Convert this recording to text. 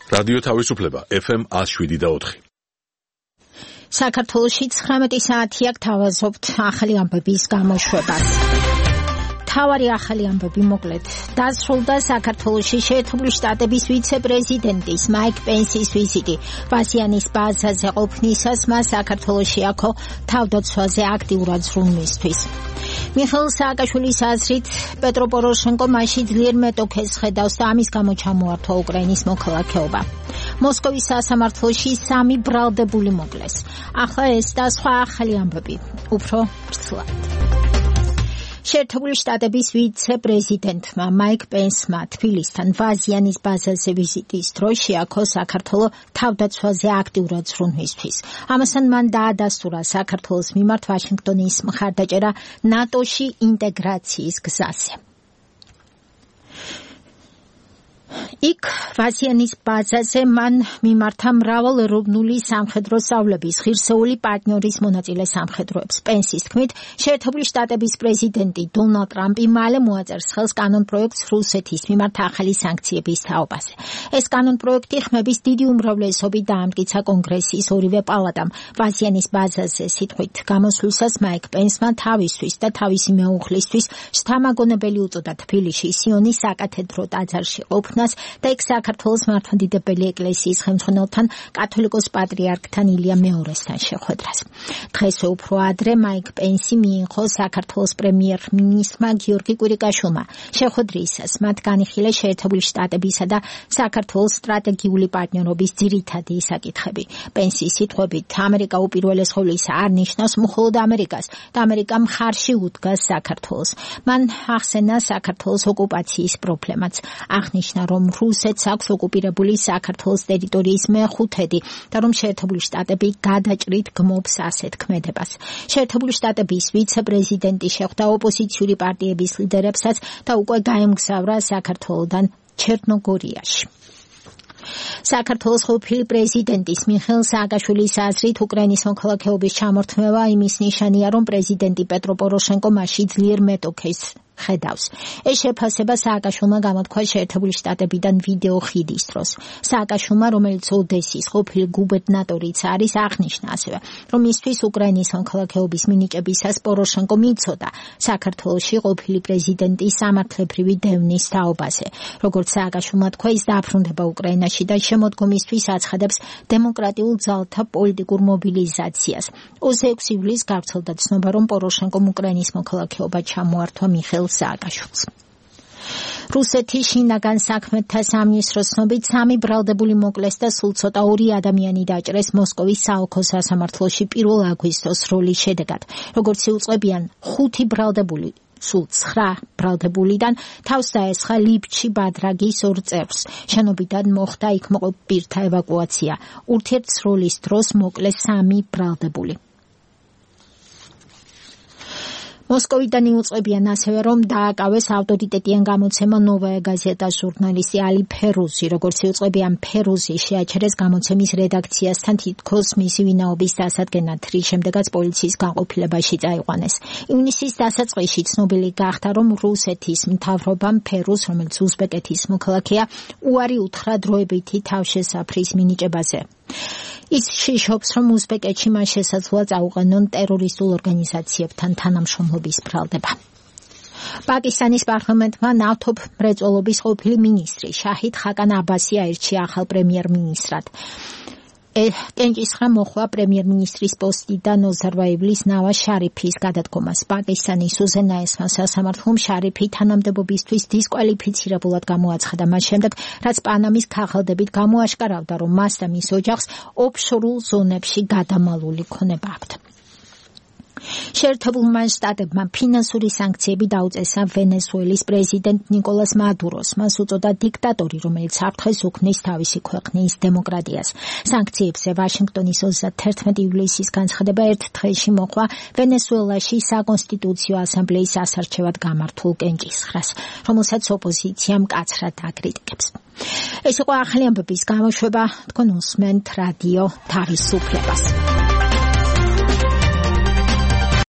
რადიო თავისუფლება FM 107.4. საქართველოში 19 საათი აქ თავაზობთ ახალი ამბების გამოშვებას. თავარი ახალი ამბები მოკლედ. დასრულდა საქართველოში შეერთებული შტატების ვიცე-პრეზიდენტის მაიკ პენსის ვიზიტი. ბაზიანის ბაზაზე ყოფნისას მას საქართველოში აქო თავდაცვაზე აქტიურად ზრუნვისთვის. მიხეილ სააკაშვილის აზრით პეტრო პოროშენკო მასში ძლიერ მეტოქეს ხედავს და ამის გამო ჩამოართვა უკრაინის მოქალაქეობა. მოსკოვის სასამართლოში 3 ბრალდებული მოკლეს. ახლა ეს და სხვა ახალი ამბები. უფრო ფრთხილად. შეერთებული შტატების ვიცე-პრეზიდენტმა მაიკ პენსმა თბილისთან ბაზიანის ბაზაზე ვიზიტის დროს შეაქო საქართველოს თავდაცვაზე აქტიურად ზრუნვისთვის. ამასთან მან დაადასტურა საქართველოს მიმართ ვაშინგტონის მხარდაჭერა ნატოში ინტეგრაციის გზაზე. იქ ბაზიანის ბაზაზე მან მიმართა მრავალეროვნული სამხედრო სწავლების ღირსეული პარტნიორის მონაწილე სამხედროებს. პენსის თქმით, შეერთებული შტატების პრეზიდენტი დონალდ ტრამპი მალე მოაწერს ხელს კანონპროექტს რუსეთის მიმართ ახალი სანქციების თაობაზე. ეს კანონპროექტი ხმების დიდი უმრავლესობით დაამტკიცა კონგრესის ორივე პალატამ. ბაზიანის ბაზაზე სიტყვით გამოსვლისას მაიკ პენსმა თავისთვის და თავისი მეუღლისთვის შთამაგონებელი უწოდა თბილისში სიონის საკათედრო ტაძარში ყოფნას და იქ საქართველოს მართლმადიდებელი ეკლესიის ხელმძღვანელთან კათოლიკოს პატრიარქთან ილია მეორესთან შეხვედრას. დღესვე უფრო ადრე მაიკ პენსი მიიღო საქართველოს პრემიერ-მინისტრმა გიორგი კვირიკაშვილმა. შეხვედრისას მათ განიხილეს შეერთებული შტატებისა და საქართველოს სტრატეგიული პარტნიორობის ძირითადი საკითხები. პენსის სიტყვებით, ამერიკა უპირველეს ყოვლისა არ ნიშნავს მხოლოდ ამერიკას და ამერიკა მხარში უდგას საქართველოს. მან ახსენა საქართველოს ოკუპაციის პრობლემაც. აღნიშნა, რომ რუსეთს აქვს ოკუპირებული საქართველოს ტერიტორიის მე-5 და რომ შეერთებული შტატები გადაჭრით გმობს ასეთ ქმედებას. შეერთებული შტატების ვიცე-პრეზიდენტი შეხვდა ოპოზიციური პარტიების ლიდერებსაც და უკვე გაემგზავრა საქართველოდან ჩერნოგორიაში. საქართველოს ყოფილი პრეზიდენტის მიხეილ სააკაშვილის აზრით უკრაინის მოქალაქეობის ჩამორთმევა იმის ნიშანია, რომ პრეზიდენტი პეტრო პოროშენკო მასში ძლიერ მეტოქეს ხედავს. ეს შეფასება სააკაშვილმა გამოთქვა შეერთებული შტატებიდან ვიდეო ხიდის დროს. სააკაშვილმა, რომელიც ოდესის ყოფილი გუბერნატორიც არის, აღნიშნა ასევე, რომ მისთვის უკრაინის მოქალაქეობის მინიჭებისას პოროშენკო მიცოდა საქართველოში ყოფილი პრეზიდენტის სამართლებრივი დევნის თაობაზე. როგორც სააკაშვილმა თქვა, ის დაბრუნდება უკრაინაში და შემოდგომისთვის აცხადებს დემოკრატიულ ძალთა პოლიტიკურ მობილიზაციას. 26 ივლისს გავრცელდა ცნობა, რომ პოროშენკომ უკრაინის მოქალაქეობა ჩამოართვა მიხეილ სააკაშვილს. რუსეთის შინაგან საქმეთა სამინისტროს ცნობით 3 ბრალდებული მოკლეს და სულ ცოტა 2 ადამიანი დაჭრეს მოსკოვის საოლქო სასამართლოში 1 აგვისტოს სროლის შედეგად. როგორც იუწყებიან, 5 ბრალდებული სულ 9 ბრალდებულიდან თავს დაესხა ლიფჩი ბადრაგის 2 წევრს. შენობიდან მოხდა იქ მოყოფ პირთა ევაკუაცია. ურთიერთსროლის დროს მოკლეს 3 ბრალდებული. მოსკოვიდან იუწყებიან ასევე, რომ დააკავეს ავტორიტეტიან გამოცემა ნოვაია გაზეტას ჟურნალისტი ალი ფერუზი. როგორც იუწყებიან, ფერუზი შეაჩერეს გამოცემის რედაქციასთან თითქოს მისი ვინაობის დასადგენად, რის შემდეგაც პოლიციის განყოფილებაში წაიყვანეს. ივნისის დასაწყისში ცნობილი გახდა, რომ რუსეთის მთავრობამ ფერუზს, რომელიც უზბეკეთის მოქალაქეა, უარი უთხრა დროებითი თავშესაფრის მინიჭებაზე. ის შიშობს, რომ უზბეკეთში მას შესაძლოა წაუყენონ ტერორისტულ ორგანიზაციებთან თანამშრომლობის ბრალდება. პაკისტანის პარლამენტმა ნავთობ მრეწველობის ყოფილი მინისტრი შაჰიდ ხაკან აბასი აირჩია ახალ პრემიერ-მინისტრად. კენჭისხრა მოხდა პრემიერ-მინისტრის პოსტიდან ნოზარბაევლის ნავაზ შარიფის გადადგომას. პაკისტანის უზენაესმა სასამართლომ შარიფი თანამდებობისთვის დისკვალიფიცირებულად გამოაცხადა მას შემდეგ, რაც პანამის ქაღალდებით გამოაშკარავდა, რომ მას და მის ოჯახს ოფშორულ ზონებში გადამალული ქონება აქვთ. შეერთებულმა შტატებმა ფინანსური სანქციები დაუწესა ვენესუელის პრეზიდენტ ნიკოლას მადუროს. მას უწოდა დიქტატორი, რომელიც საფრთხეს უქმნის თავისი ქვეყნის დემოკრატიას. სანქციებზე ვაშინგტონის 31 ივლისის განცხადება ერთ დღეში მოყვა ვენესუელაში საკონსტიტუციო ასამბლეის ასარჩევად გამართულ კენჭისხრას, რომელსაც ოპოზიცია მკაცრად აკრიტიკებს. ეს იყო ახალი ამბების გამოშვება. თქვენ უსმენთ რადიო თავისუფლებას.